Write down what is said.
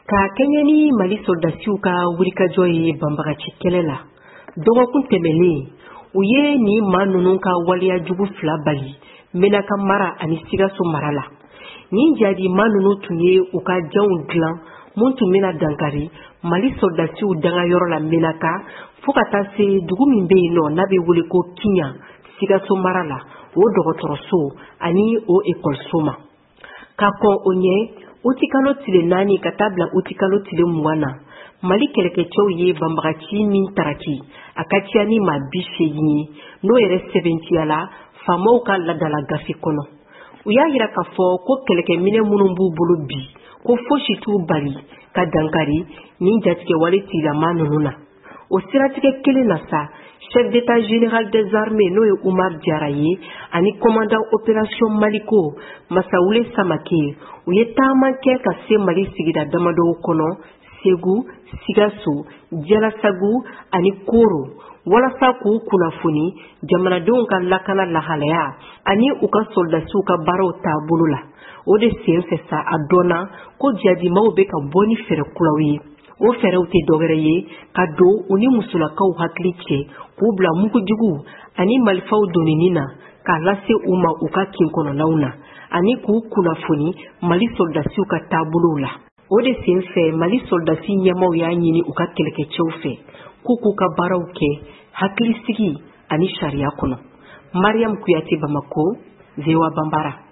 Ka kɛɲɛ ni Mali sɔrɔdasiw ka wulikajɔ ye banbagaci kɛlɛ la, dɔgɔkun tɛmɛnen, u ye nin maa ninnu ka waleya jugu fila bali Menaka mara ani Sikaso mara la. Nin jadi maa ninnu tun ye u ka janw dilan mun tun bɛna dankari Mali sɔrɔdasiw dangayɔrɔ la Menaka, fo ka taa se dugu min bɛ yen nɔ n'a bɛ wele ko Kiɲan, Sikaso mara la, o dɔgɔtɔrɔso ani o ekɔliso ma. Ka kɔn o ɲɛ, utikalo tile 4 ka taa bila utikalo tile 20 na, Mali kɛlɛkɛcɛw ye banbagaci min taraki, a ka ca ni maa 80 ye, n'o yɛrɛ sɛbɛntiyala faamaw ka ladala gafe kɔnɔ. U y'a yira k'a fɔ ko kɛlɛkɛminɛ minnu b'u bolo bi, ko fosi t'u bali ka dankari nin jatigɛwale tigilama ninnu na. O siratigɛ kelen na sa, chef d'état général des armées, n'o ye Umar Jara ye, ani commandant opération Maliko Masawule Samake, u ye taama kɛ ka se Mali sigida damadɔw kɔnɔ, Segu, Sikaso, Jalasagu ani Koro, walasa k'u kunnafoni jamanadenw ka lakana lahalaya ani u ka sɔrɔdasiw ka baaraw taabolo la. O de sen fɛ sa, a dɔnna ko jadimaw bɛ ka bɔ ni fɛɛrɛ kuraw ye. O fɛɛrɛw tɛ dɔwɛrɛ ye ka don u ni musolakaw hakili cɛ, k'u bila mugujugu ani marifaw donini na k'a lase u ma u ka kin kɔnɔnaw na, ani k'u kunnafoni Mali sɔrɔdasiw ka taabolow la. O de sen fɛ, Mali sɔrɔdasi ɲɛmaw y'a ɲini u ka kɛlɛkɛcɛw fɛ k'u k'u ka baaraw kɛ hakilisigi ani sariya kɔnɔ. Mariam Kuyate, Bamako, VOA Banbara.